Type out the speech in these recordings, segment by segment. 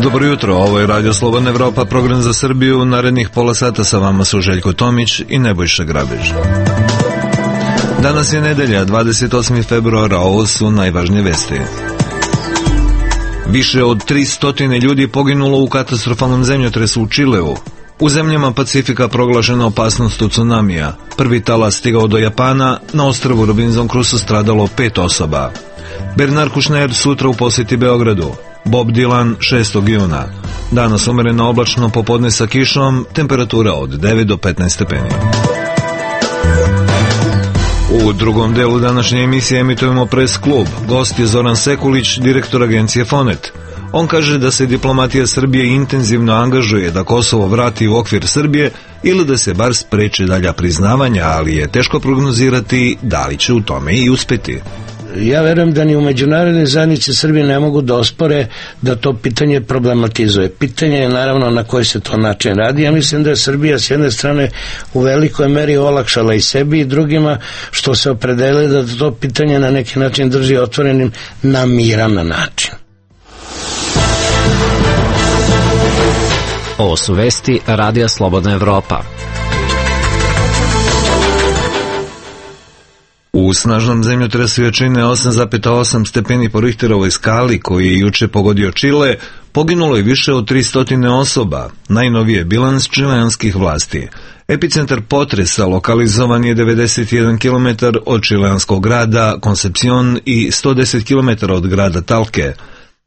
Dobro jutro, ovo je Radio Slobodna Evropa, program za Srbiju. Narednih pola sata sa vama su Željko Tomić i Nebojša Grabež. Danas je nedelja, 28. februara, ovo su najvažnije vesti. Više od 300 ljudi poginulo u katastrofalnom zemljotresu u Čileu. U zemljama Pacifika proglašena opasnost od tsunamija. Prvi talas stigao do Japana, na ostrvu Robinson Crusoe stradalo 5 osoba. Bernard Kouchner sutra u posjeti Beogradu. Bob Dylan 6. juna. Danas umereno oblačno, popodne sa kišom, temperatura od 9 do 15 stepeni. U drugom delu današnje emisije emitujemo Press klub. Gost je Zoran Sekulić, direktor agencije Fonet. On kaže da se diplomatija Srbije intenzivno angažuje da Kosovo vrati u okvir Srbije ili da se bar spreče dalja priznavanja, ali je teško prognozirati da li će u tome i uspeti. Ja verujem da ni u međunarodnoj zajednici Srbije ne mogu da ospore da to pitanje problematizuje. Pitanje je naravno na koji se to način radi. Ja mislim da je Srbija s jedne strane u velikoj meri olakšala i sebi i drugima što se opredelili da to pitanje na neki način drži otvorenim na miran način. Ovo su vesti Radija Slobodna Evropa. U snažnom zemljotresu jačine 8,8 stepeni po Richterovoj skali koji je juče pogodio Čile, poginulo je više od 300 osoba, najnoviji je bilans čileanskih vlasti. Epicentar potresa lokalizovan je 91 km od čileanskog grada Concepcion i 110 km od grada Talke.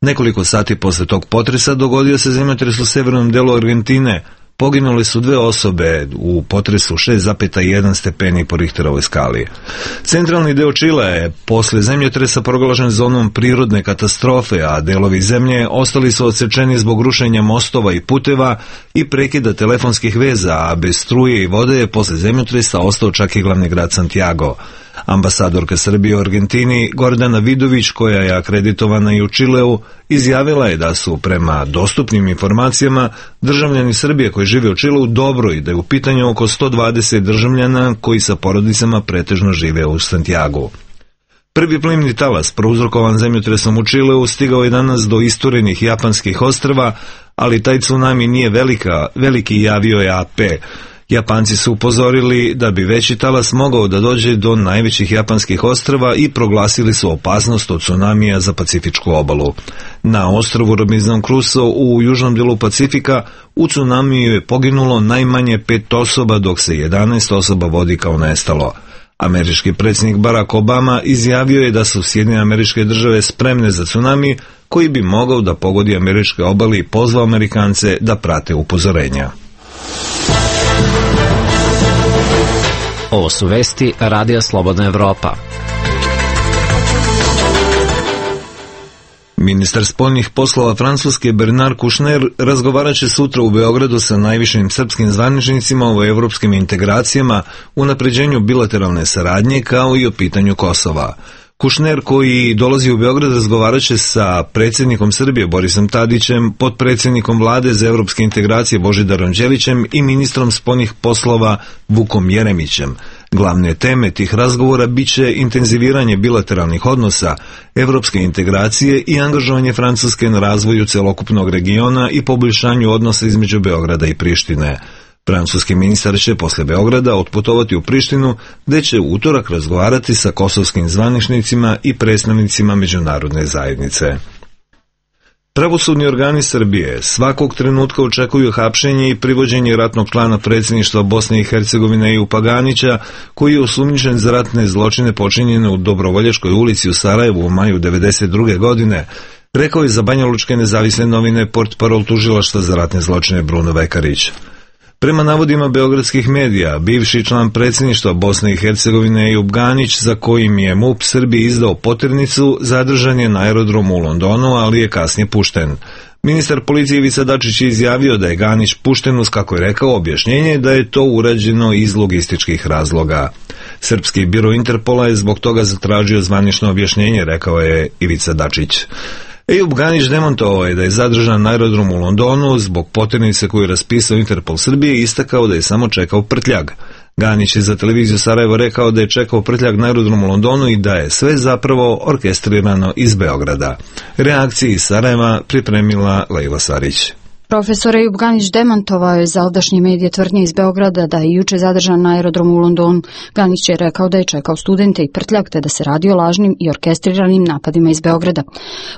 Nekoliko sati posle tog potresa dogodio se zemljotres u severnom delu Argentine. Poginule su 2 osobe u potresu 6,1 stepeni po Richterovoj skali. Centralni deo Čilea je posle zemljotresa proglašen zonom prirodne katastrofe, a delovi zemlje ostali su odsečeni zbog rušenja mostova i puteva i prekida telefonskih veza, a bez struje i vode je posle zemljotresa ostao čak i glavni grad Santiago. Ambasadorka Srbije u Argentini Gordana Vidović, koja je akreditovana i u Čileu, izjavila je da su prema dostupnim informacijama državljani Srbije koji žive u Čileu dobro i da je u pitanju oko 120 državljana koji sa porodicama pretežno žive u Santiagu. Prvi plimni talas prouzrokovan zemljotresom u Čileu stigao je danas do isturenih japanskih ostrva, ali taj tsunami nije veliki, javio je AP. Japanci su upozorili da bi veći talas mogao da dođe do najvećih japanskih ostrva i proglasili su opasnost od tsunamija za Pacifičku obalu. Na ostrvu Robinson Crusoe u južnom delu Pacifika u tsunamiju je poginulo najmanje 5 osoba, dok se 11 osoba vodi kao nestalo. Američki predsjednik Barack Obama izjavio je da su Sjedinjene Američke Države spremne za tsunami koji bi mogao da pogodi američke obale i pozvao Amerikance da prate upozorenja. Ovo su vesti Radija Slobodna Evropa. Ministar spoljnih poslova Francuske Bernard Kouchner razgovarat će sutra u Beogradu sa najvišim srpskim zvaničnicima o evropskim integracijama, unapređenju bilateralne saradnje kao i o pitanju Kosova. Kouchner, koji dolazi u Beograd, razgovarat će sa predsjednikom Srbije Borisom Tadićem, potpredsjednikom vlade za evropske integracije Božidarom Đelićem i ministrom spoljnih poslova Vukom Jeremićem. Glavne teme tih razgovora biće intenziviranje bilateralnih odnosa, evropske integracije i angažovanje Francuske na razvoju celokupnog regiona i poboljšanju odnosa između Beograda i Prištine. Francuski ministar će posle Beograda otputovati u Prištinu, gde će u utorak razgovarati sa kosovskim zvaničnicima i predstavnicima međunarodne zajednice. Pravosudni organi Srbije svakog trenutka očekuju hapšenje i privođenje ratnog člana predsjedništva Bosne i Hercegovine Ejupa Ganića, koji je osumnjičen za ratne zločine počinjene u Dobrovoljačkoj ulici u Sarajevu u maju 1992. godine, rekao je za banjalučke nezavisne novine portparol tužilaštva za ratne zločine Bruno Vekarić. Prema navodima beogradskih medija, bivši član predsjedništva Bosne i Hercegovine Ejup Ganić, za kojim je MUP Srbiji izdao poternicu, zadržan je na aerodromu u Londonu, ali je kasnije pušten. Ministar policije Ivica Dačić je izjavio da je Ganić pušten uz, kako je rekao, objašnjenje da je to urađeno iz logističkih razloga. Srpski biro Interpola je zbog toga zatražio zvanično objašnjenje, rekao je Ivica Dačić. Ejup Ganić demontovao je da je zadržan na aerodromu u Londonu zbog poternice koju je raspisao Interpol Srbije i istakao da je samo čekao prtljag. Ganić je za televiziju Sarajevo rekao da je čekao prtljag na aerodromu u Londonu i da je sve zapravo orkestrirano iz Beograda. Reakcije iz Sarajeva pripremila Lejla Sarić. Profesor Ejub Ganić demantovao je zaldašnje medije tvrdnje iz Beograda da je juče zadržan na aerodromu u Londonu. Ganić je rekao da je čekao studente i prtljag te da se radi o lažnim i orkestriranim napadima iz Beograda.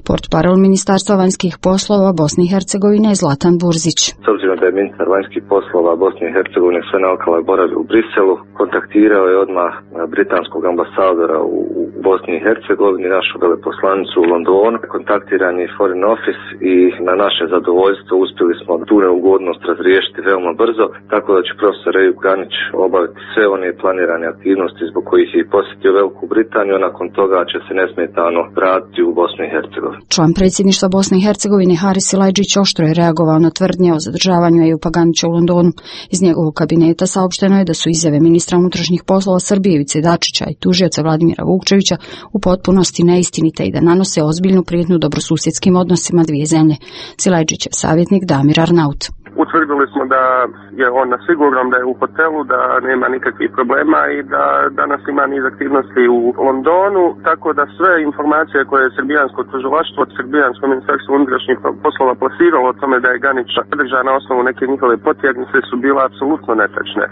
Portparol Ministarstva vanjskih poslova Bosne i Hercegovine je Zlatan Burzić. S obzirom da je ministar vanjskih poslova Bosne i Hercegovine sve naokolo boravio u Briselu, kontaktirao je odmah britanskog ambasadora u Bosni i Hercegovini, našu veleposlanicu u Londonu. Kontaktiran je Foreign Office i na naše zadovoljstvo uspjeli smo tu neugodnost razriješiti veoma brzo, tako da će profesor Ejub Ganić obaviti sve one planirane aktivnosti zbog kojih je posjetio Veliku Britaniju, nakon toga će se nesmetano vratiti u Bosnu i Hercegovinu. Član predsjedništva Bosne i Hercegovine Haris Silajdžić oštro je reagovao na tvrdnje o zadržavanju Ejuba Ganića u Londonu. Iz njegovog kabineta saopšteno je da su izjave ministra unutrašnjih poslova Srbije Ivice Dačića i tužioca Vladimira Vukčevića u potpunosti neistinite i da nanose ozbiljnu prijetnju dobrosusjedskim odnosima dvije zemlje. Silajdžićev savjetnik Damir Arnaut. Utvrdili smo da je on na sigurnom, da je u hotelu, da nema nikakvih problema i da danas ima niz aktivnosti u Londonu, tako da sve informacije koje je srbijansko tužilaštvo od srbijansko ministarstvo unutrašnjih poslova plasiralo o tome da je Ganić zadržan na osnovu neke njihove potjernice su bile apsolutno netačne.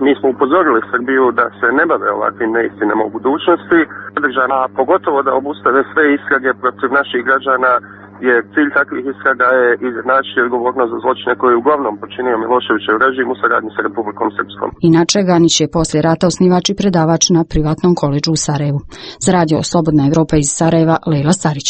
Mi smo upozorili Srbiju da se ne bave ovakvim neistinama u budućnosti, zadržana, a pogotovo da obustave sve istrage protiv naših građana, jer cilj takvih istraga je izjednačiti odgovornost za zločine koje je uglavnom počinio Miloševićev režim u saradnji sa Republikom Srpskom. Inače, Ganić je poslije rata osnivač i predavač na privatnom koledžu u Sarajevu. Za radio Slobodna Evropa iz Sarajeva, Lejla Starić.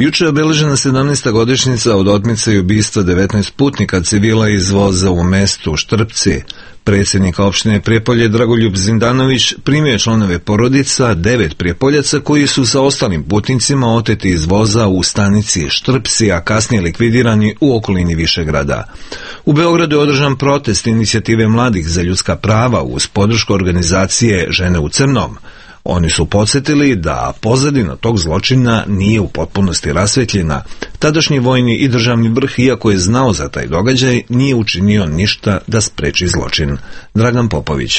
Juče je obeležena 17. godišnjica od otmice i ubistva 19 putnika civila iz voza u mestu Štrpci. Predsjednik opštine Prijepolje Dragoljub Zindanović primio je članove porodica 9 Prijepoljaca koji su sa ostalim putnicima oteti iz voza u stanici Štrpci, a kasnije likvidirani u okolini Višegrada. U Beogradu je održan protest inicijative mladih za ljudska prava uz podršku organizacije Žene u crnom. Oni su podsjetili da pozadina tog zločina nije u potpunosti rasvetljena. Tadašnji vojni i državni vrh, iako je znao za taj događaj, nije učinio ništa da spreči zločin. Dragan Popović.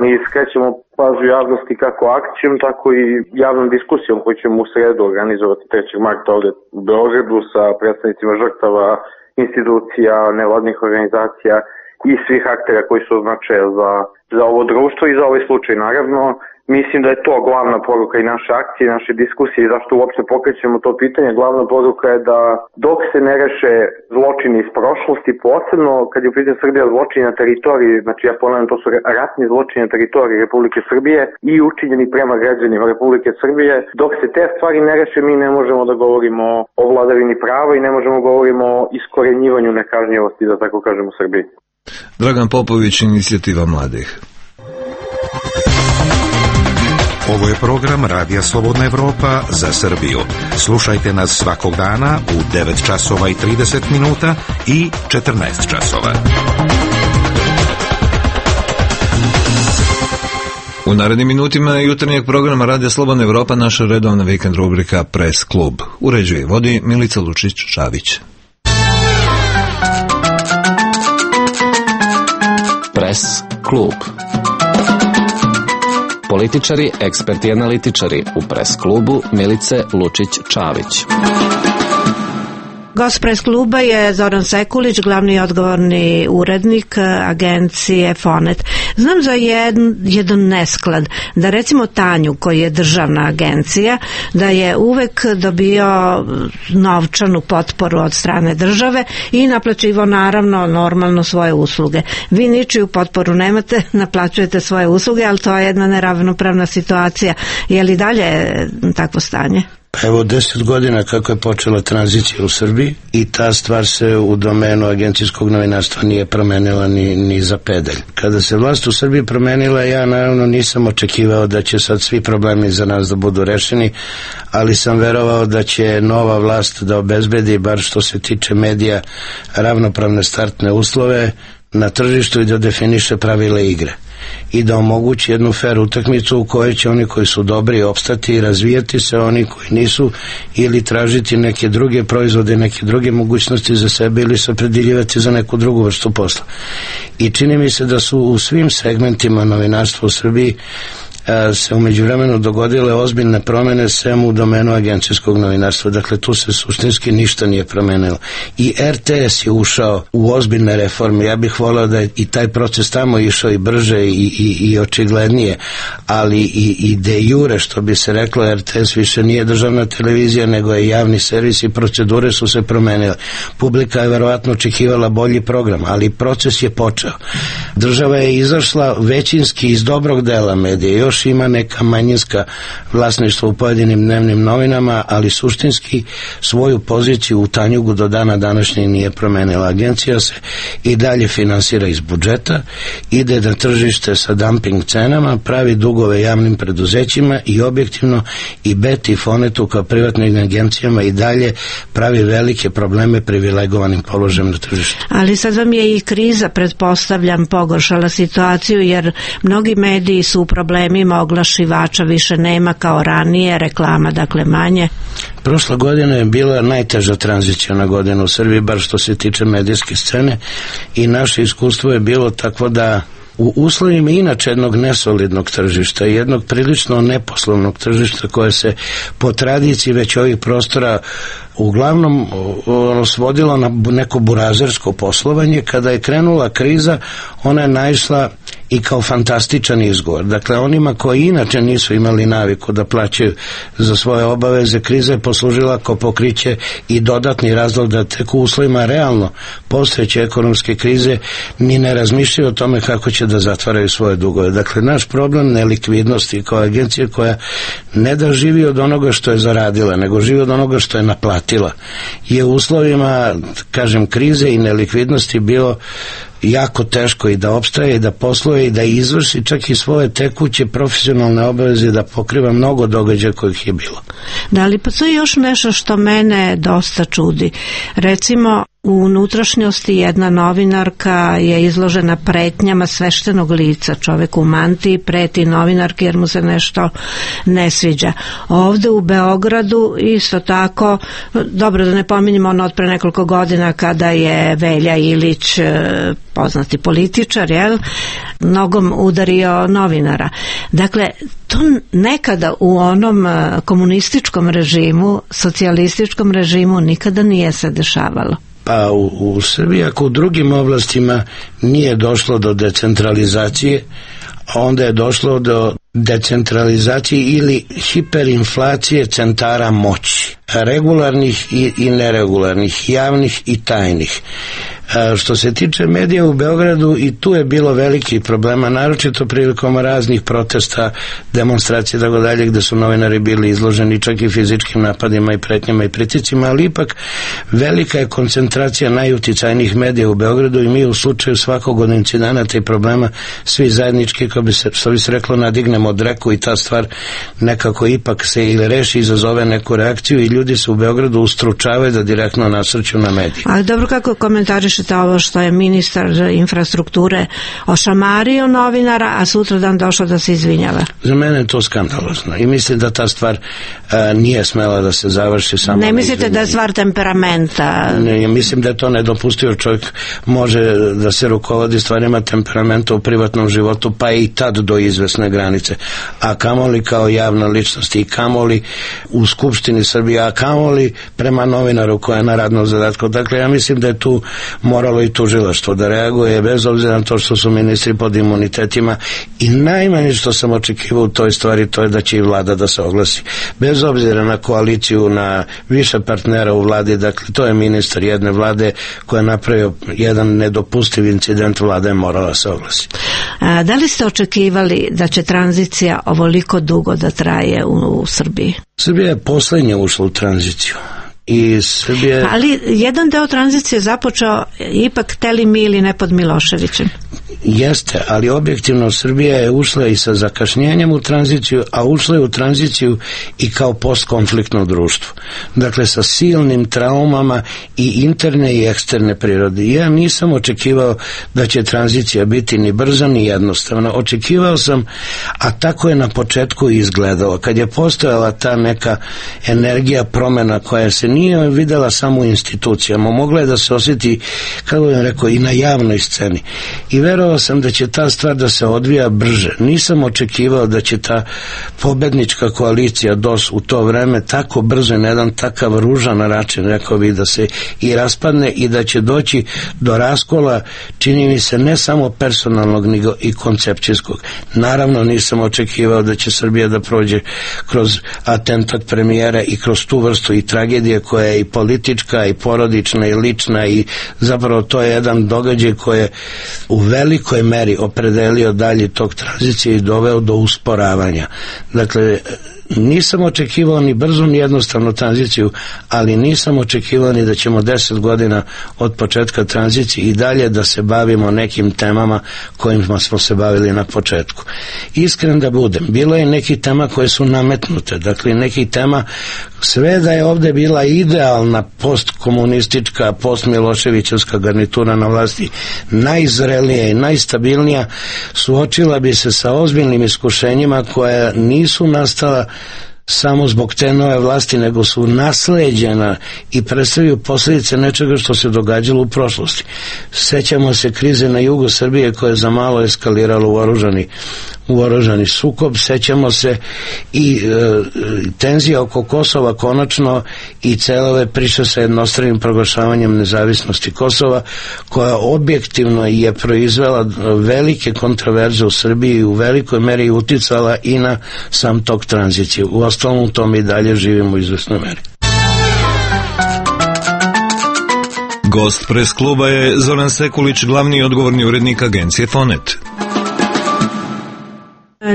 Mi skrećemo pažnju javnosti kako akcijom, tako i javnom diskusijom koju ćemo u sredu organizovati 3. marta ovdje u Beogradu sa predstavnicima žrtava, institucija, nevladnih organizacija i svih aktera koji su značaja za ovo društvo i za ovaj slučaj. Naravno, mislim da je to glavna poruka i naše akcije, naše diskusije i zašto uopšte pokrećemo to pitanje. Glavna poruka je da dok se ne reše zločini iz prošlosti, posebno kad je u pitanju Srbija zločini na teritoriji, znači ja ponavljam, to su ratni zločini na teritoriji Republike Srbije i učinjeni prema građanima Republike Srbije, dok se te stvari ne reše, mi ne možemo da govorimo o vladavini prava i ne možemo da govorimo o iskorenjivanju nekažnjivosti, da tako kažemo, u Srbiji. Dragan Popović, inicijativa mladih. Ovo je program Radija Slobodna Evropa za Srbiju. Slušajte nas svakog dana u 9 časova i 30 minuta i 14 časova. U narednim minutima jutarnjeg programa Radija Slobodna Evropa naša redovna vikend rubrika Press Klub. Uređuje i vodi Milica Lučić-Čavić. Press Klub. Političari, eksperti i analitičari u Press klubu Milice Lučić-Čavić. Gost Press kluba je Zoran Sekulić, glavni i odgovorni urednik agencije Fonet. Znam za jedan nesklad, da recimo Tanju, koji je državna agencija, da je uvek dobio novčanu potporu od strane države i naplaćivao naravno normalno svoje usluge. Vi ničiju potporu nemate, naplaćujete svoje usluge, ali to je jedna neravnopravna situacija. Je li dalje takvo stanje? Evo 10 godina kako je počela tranzicija u Srbiji i ta stvar se u domenu agencijskog novinarstva nije promenila ni za pedalj. Kada se vlast u Srbiji promenila, ja naravno nisam očekivao da će sad svi problemi za nas da budu rešeni, ali sam verovao da će nova vlast da obezbedi, bar što se tiče medija, ravnopravne startne uslove na tržištu i da definiše pravila igre. i da omogući jednu fer utakmicu u kojoj će oni koji su dobri opstati i razvijati se, oni koji nisu ili tražiti neke druge proizvode, neke druge mogućnosti za sebe ili se opredeljivati za neku drugu vrstu posla. I čini mi se da su u svim segmentima novinarstva u Srbiji se u međuvremenu dogodile ozbiljne promene sem u domenu agencijskog novinarstva. Dakle, tu se suštinski ništa nije promenilo. I RTS je ušao u ozbiljne reforme. Ja bih voleo da je i taj proces tamo išao i brže i očiglednije, ali i de jure, što bi se reklo, RTS više nije državna televizija, nego je javni servis i procedure su se promenile. Publika je verovatno očekivala bolji program, ali proces je počeo. Država je izašla većinski iz dobrog dela medija, još ima neka manjinska vlasništva u pojedinim dnevnim novinama, ali suštinski svoju poziciju u Tanjugu do dana današnjeg nije promenila. Agencija se i dalje finansira iz budžeta, ide na tržište sa dumping cenama, pravi dugove javnim preduzećima i objektivno i BET i Fonetu kao privatnim agencijama i dalje pravi velike probleme privilegovanim položajem na tržištu. Ali sad vam je i kriza, pretpostavljam, pogoršala situaciju, jer mnogi mediji su u problemima, oglašivača više nema kao ranije, reklama dakle manje. Prošla godina je bila najteža tranzicijna godina u Srbiji, bar što se tiče medijske scene, i naše iskustvo je bilo takvo da u uslovima inače jednog nesolidnog tržišta, jednog prilično neposlovnog tržišta koje se po tradiciji već ovih prostora uglavnom svodilo na neko burazersko poslovanje, kada je krenula kriza, ona je naišla i kao fantastičan izgovor. Dakle, onima koji inače nisu imali naviku da plaćaju za svoje obaveze, kriza je poslužila kao pokriće i dodatni razlog da tek u uslovima realno postojeće ekonomske krize ni ne razmišljaju o tome kako će da zatvaraju svoje dugove. Dakle, naš problem nelikvidnosti kao agencije koja ne da živi od onoga što je zaradila, nego živi od onoga što je naplatila, je u uslovima, kažem, krize i nelikvidnosti bilo jako teško i da opstaje i da posluje i da izvrši čak i svoje tekuće profesionalne obaveze, da pokriva mnogo događaja kojih je bilo. Da li postoji još nešto što mene dosta čudi? Recimo, u unutrašnjosti jedna novinarka je izložena pretnjama sveštenog lica, čovek u mantiji preti novinarki jer mu se nešto ne sviđa. Ovde u Beogradu isto tako, dobro da ne pominjemo ono od pre nekoliko godina kada je Velja Ilić, poznati političar, nogom udario novinara. Dakle, to nekada u onom komunističkom režimu, socijalističkom režimu nikada nije se dešavalo. Pa u Srbiji, ako u drugim oblastima nije došlo do decentralizacije, onda je došlo do decentralizacije ili hiperinflacije centara moći, regularnih i neregularnih, javnih i tajnih. Što se tiče medija u Beogradu, i tu je bilo velikih problema, naročito prilikom raznih protesta, demonstracije, tako dalje, gde su novinari bili izloženi čak i fizičkim napadima i pretnjama i pritiscima, ali ipak velika je koncentracija najuticajnijih medija u Beogradu i mi u slučaju svakog od incidenata i problema svi zajednički, kao bi se, što bi se reklo, nadignemo od reku i ta stvar nekako ipak se ili reši, izazove neku reakciju i ljudi se u Beogradu ustručavaju da direktno nasrću na medije. Ali dobro, kako komentarišete ovo što je ministar infrastrukture ošamario novinara, a sutradan došao da se izvinjava? Za mene je to skandalozno i mislim da ta stvar nije smela da se završi samo. Ne mislite da je stvar temperamenta? Ne, mislim da je to nedopustivo. Čovjek može da se rukovodi stvarima temperamenta u privatnom životu, pa i tad do izvesne granice, a kamoli kao javna ličnost i kamoli u Skupštini Srbije, a kamoli prema novinaru koja je na radnom zadatku. Dakle, ja mislim da je tu moralo i tužilaštvo da reaguje, bez obzira na to što su ministri pod imunitetima, i najmanje što sam očekivao u toj stvari, to je da će i vlada da se oglasi. Bez obzira na koaliciju, na više partnera u vladi, dakle, to je ministar jedne vlade koja je napravio jedan nedopustiv incident, vlada je morala se oglasi. Da li ste očekivali da će tranzicija ovoliko dugo da traje u Srbiji? Srbija je poslednja ušla u tranziciju. I Srbija... Ali jedan deo tranzicije započeo ipak hteli mi ili ne pod Miloševićem. jeste, ali objektivno Srbija je ušla i sa zakašnjenjem u tranziciju, a ušla je u tranziciju i kao postkonfliktno društvo. Dakle, sa silnim traumama i interne i eksterne prirode. Ja nisam očekivao da će tranzicija biti ni brza ni jednostavna. Očekivao sam, a tako je na početku izgledalo. Kad je postojala ta neka energija promena koja se nije videla samo u institucijama, mogla je da se osjeti, kako bih rekao, i na javnoj sceni. I verovao sam da će ta stvar da se odvija brže. Nisam očekivao da će ta pobednička koalicija DOS u to vreme tako brzo i na jedan takav ružan način, rekao bih, da se i raspadne i da će doći do raskola, čini mi se, ne samo personalnog, nego i koncepcijskog. Naravno, nisam očekivao da će Srbija da prođe kroz atentat premijera i kroz tu vrstu i tragedije koja je i politička i porodična i lična, i zapravo to je jedan događaj koji je u velikoj meri opredelio dalje tog tranzicije i doveo do usporavanja. Dakle, nisam očekivao ni brzo ni jednostavnu tranziciju, ali nisam očekivao ni da ćemo 10 godina od početka tranzicije i dalje da se bavimo nekim temama kojima smo se bavili na početku. Iskren da budem, bilo je nekih tema koje su nametnute, dakle nekih tema, sve da je ovde bila idealna postkomunistička, postmiloševićevska garnitura na vlasti, najzrelija i najstabilnija, suočila bi se sa ozbiljnim iskušenjima koja nisu nastala samo zbog te nove vlasti, nego su nasleđena i predstavljaju posljedice nečega što se događalo u prošlosti. Sećamo se krize na jugu Srbije koja je za malo eskalirala u oružani sukob, sećamo se i tenzija oko Kosova konačno i cele ove priče sa jednostranim proglašavanjem nezavisnosti Kosova, koja objektivno je proizvela velike kontroverze u Srbiji i u velikoj meri uticala i na sam tok tranzicije. U ostalom u tom i dalje živimo u izvesnoj meri. Gost pres kluba je Zoran Sekulić, glavni i odgovorni urednik agencije Fonet.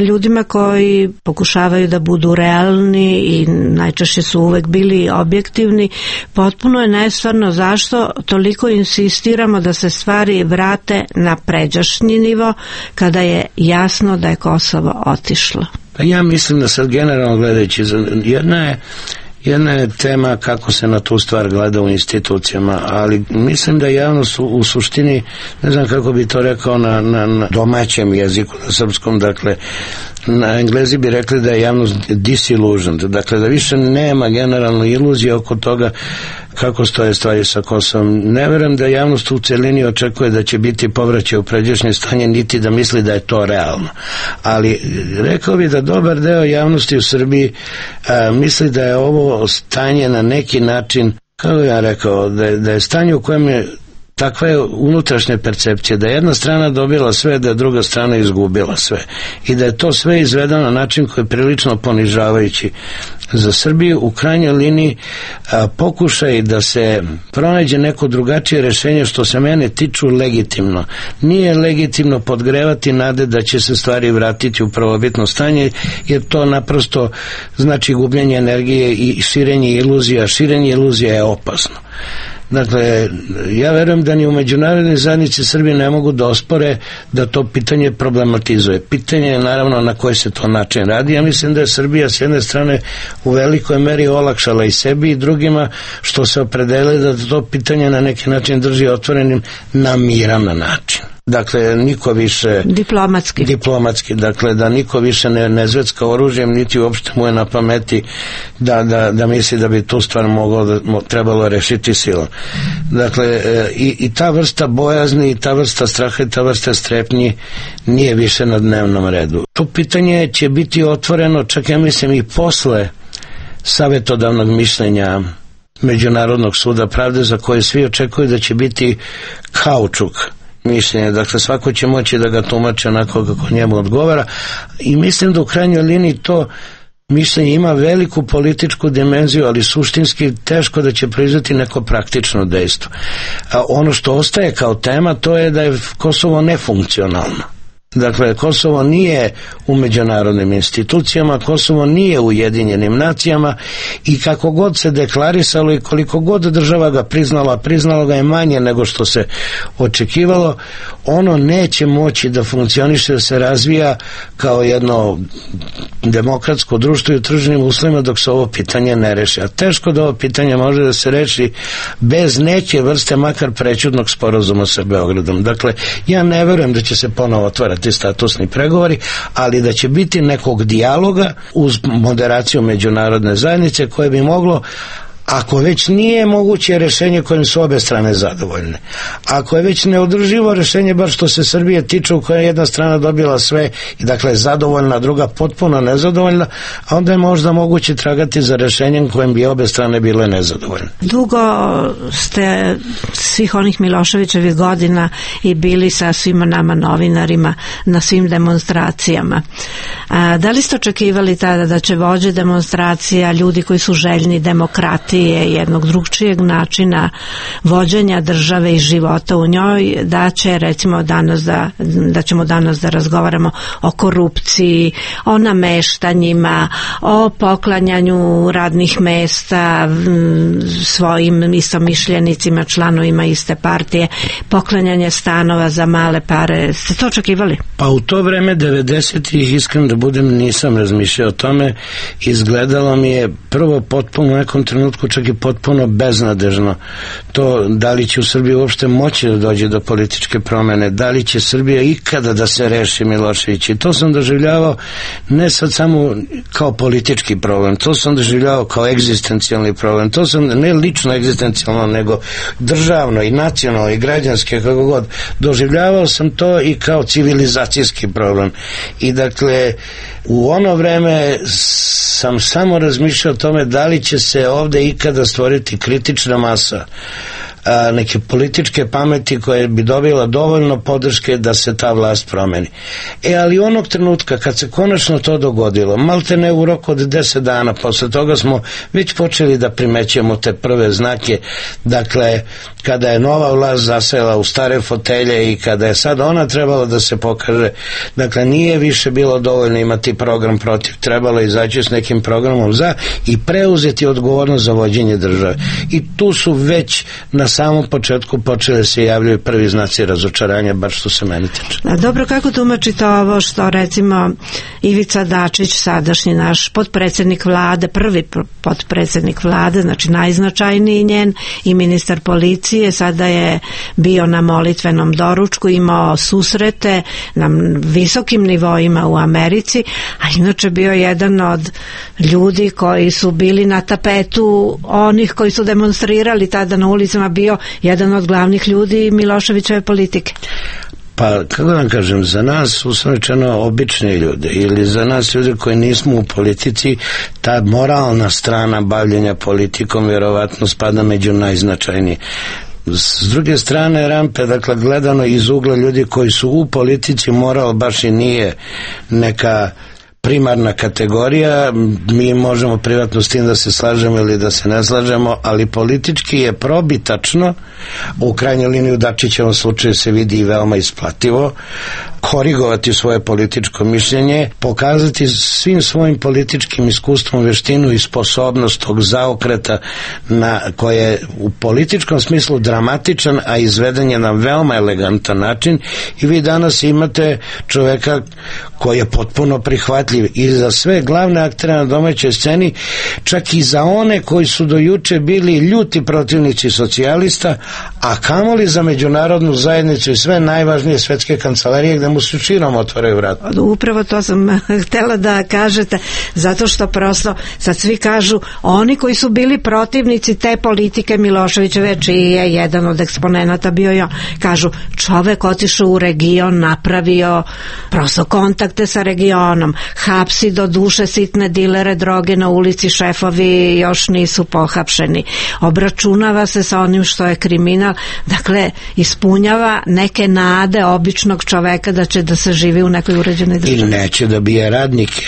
Ljudima koji pokušavaju da budu realni i najčešće su uvek bili objektivni, potpuno je nestvarno zašto toliko insistiramo da se stvari vrate na pređašnji nivo kada je jasno da je Kosovo otišlo. Pa ja mislim da sad generalno gledajući, jedna je tema kako se na tu stvar gleda u institucijama, ali mislim da javnost u suštini, ne znam kako bi to rekao na domaćem jeziku, na srpskom, dakle, na Englezi bi rekli da je javnost disillusioned, dakle da više nema generalno iluzije oko toga kako stoje stvari sa Kosovom. Ne verujem da javnost u celini očekuje da će biti povraćaj u pređašnje stanje, niti da misli da je to realno. Ali rekao bi da dobar deo javnosti u Srbiji misli da je ovo stanje na neki način, kako ja rekao, da je stanje u kojem je takva je unutrašnja percepcija, da je jedna strana dobila sve, da je druga strana izgubila sve. I da je to sve izvedeno na način koji je prilično ponižavajući za Srbiju. U krajnjoj liniji pokušaj da se pronađe neko drugačije rešenje, što se mene tiču, legitimno. Nije legitimno podgrevati nade da će se stvari vratiti u prvobitno stanje, jer to naprosto znači gubljenje energije i širenje iluzija. Širenje iluzija je opasno. Dakle, ja verujem da ni u međunarodnoj zajednici Srbije ne mogu da ospore da to pitanje problematizuje. Pitanje je naravno na koji se to način radi. Ja mislim da je Srbija s jedne strane u velikoj meri olakšala i sebi i drugima, što se opredeli da to pitanje na neki način drži otvorenim na miran način. Dakle, niko više diplomatski, dakle da niko više ne zvecka oružjem, niti uopšte mu je na pameti da misli da bi tu stvar trebalo rešiti silom. Dakle, i ta vrsta bojazni, i ta vrsta straha, i ta vrsta strepnji nije više na dnevnom redu. To pitanje će biti otvoreno, čak ja mislim i posle savetodavnog mišljenja Međunarodnog suda pravde, za koje svi očekuju da će biti kaučuk mišljenje, dakle svako će moći da ga tumači onako kako njemu odgovara, i mislim da u krajnjoj liniji to mišljenje ima veliku političku dimenziju, ali suštinski teško da će proizvesti neko praktično dejstvo. A ono što ostaje kao tema, to je da je Kosovo nefunkcionalno. Dakle, Kosovo nije u međunarodnim institucijama, Kosovo nije u Ujedinjenim nacijama i kako god se deklarisalo i koliko god država ga priznalo ga je manje nego što se očekivalo, ono neće moći da funkcioniše, da se razvija kao jedno demokratsko društvo i u tržnim uslovima dok se ovo pitanje ne reši. A teško da ovo pitanje može da se reši bez neke vrste makar prećudnog sporazuma sa Beogradom. Dakle, ja ne verujem da će se ponovo otvarati statusni pregovori, ali da će biti nekog dijaloga uz moderaciju međunarodne zajednice koje bi moglo, ako već nije moguće rešenje kojim su obe strane zadovoljne, ako je već neodrživo rešenje, bar što se Srbije tiče, u kojoj je jedna strana dobila sve i dakle zadovoljna, druga potpuno nezadovoljna, a onda je možda moguće tragati za rešenjem kojim bi obe strane bile nezadovoljne. Dugo ste svih onih Miloševićevih godina i bili sa svima nama novinarima na svim demonstracijama. Da li ste očekivali tada da će vođe demonstracija, ljudi koji su željni demokratije, jednog drugčijeg načina vođenja države i života u njoj, da će recimo da ćemo danas da razgovaramo o korupciji, o nameštanjima, o poklanjanju radnih mesta svojim istomišljenicima, članovima iste partije, poklanjanje stanova za male pare. Ste to očekivali? Pa u to vreme 90-ih, iskreno da budem, nisam razmišljao o tome. Izgledalo mi je prvo potpuno u nekom trenutku čak i potpuno beznadežno to da li će u Srbiji uopšte moći da dođe do političke promene, da li će Srbija ikada da se reši Milošević. I to sam doživljavao ne sad samo kao politički problem, to sam doživljavao kao egzistencijalni problem, to sam ne lično egzistencijalno, nego državno i nacionalno i građanski, kako god. Doživljavao sam to i kao civilizacijski problem. I dakle, u ono vreme sam samo razmišljao o tome da li će se ovde ikada stvoriti kritična masa neke političke pameti koje bi dobila dovoljno podrške da se ta vlast promeni. Ali onog trenutka kad se konačno to dogodilo, malte ne u roku od 10 dana, posle toga smo već počeli da primećujemo te prve znake, dakle, kada je nova vlast zasela u stare fotelje i kada je sad ona trebala da se pokaže, dakle, nije više bilo dovoljno imati program protiv, trebalo je izaći s nekim programom za i preuzeti odgovornost za vođenje države. I tu su već na samom početku počele se javljaju prvi znaci razočaranja, bar što se meni tiče. Dobro, kako tumačite ovo što recimo Ivica Dačić, sadašnji naš potpredsednik vlade, prvi potpredsednik vlade, znači najznačajniji njen i ministar policije, sada je bio na molitvenom doručku, imao susrete na visokim nivoima u Americi, a inače bio jedan od ljudi koji su bili na tapetu onih koji su demonstrirali tada na ulicama, bio jedan od glavnih ljudi Miloševićeve politike. Pa, kako da kažem, za nas uslovno obični ljude ili za nas ljude koji nismo u politici, ta moralna strana bavljenja politikom vjerovatno spada među najznačajnije. S druge strane rampe, dakle, gledano iz ugla ljudi koji su u politici, moral baš i nije neka primarna kategorija. Mi možemo privatno s tim da se slažemo ili da se ne slažemo, ali politički je probitačno, u krajnjoj liniji u Dačićevom slučaju se vidi i veoma isplativo, korigovati svoje političko mišljenje, pokazati svim svojim političkim iskustvom veštinu i sposobnost tog zaokreta koje je u političkom smislu dramatičan, a izveden je na veoma elegantan način. I vi danas imate čoveka koji je potpuno prihvatljiv i za sve glavne aktere na domaćoj sceni, čak i za one koji su do juče bili ljuti protivnici socijalista, a kamoli za međunarodnu zajednicu i sve najvažnije svetske kancelarije gde mu su širom otvaraju vrat. Upravo to sam htela da kažete, zato što prosto sad svi kažu, oni koji su bili protivnici te politike Miloševićeve, čiji je jedan od eksponenata bio i on, kažu, čovek otišao u region, napravio prosto kontakte sa regionom, hapsi do duše sitne dilere droge na ulici, šefovi još nisu pohapšeni, obračunava se sa onim što je kriminal, dakle ispunjava neke nade običnog čoveka da će da se živi u nekoj uređenoj državi. I neće da bije radnike.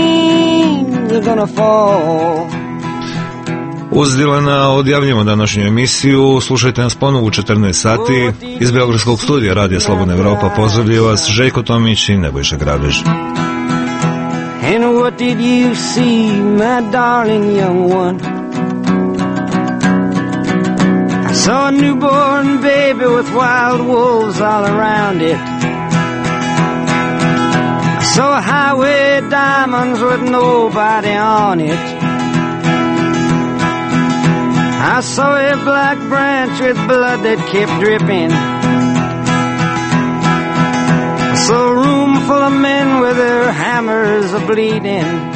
me. are gonna fall. Uz Dilana odjavljamo današnju emisiju. Slušajte nas ponovo u 14 sati. Iz Beogradskog studija Radija Slobodna Evropa pozdravljaju vas Željko Tomić i Nebojša Grabež. And what did you see, my darling young one? I saw a newborn baby with wild wolves all around it. I saw a highway of diamonds with nobody on it. I saw a black branch with blood that kept dripping. I saw a room full of men with their hammers a-bleeding.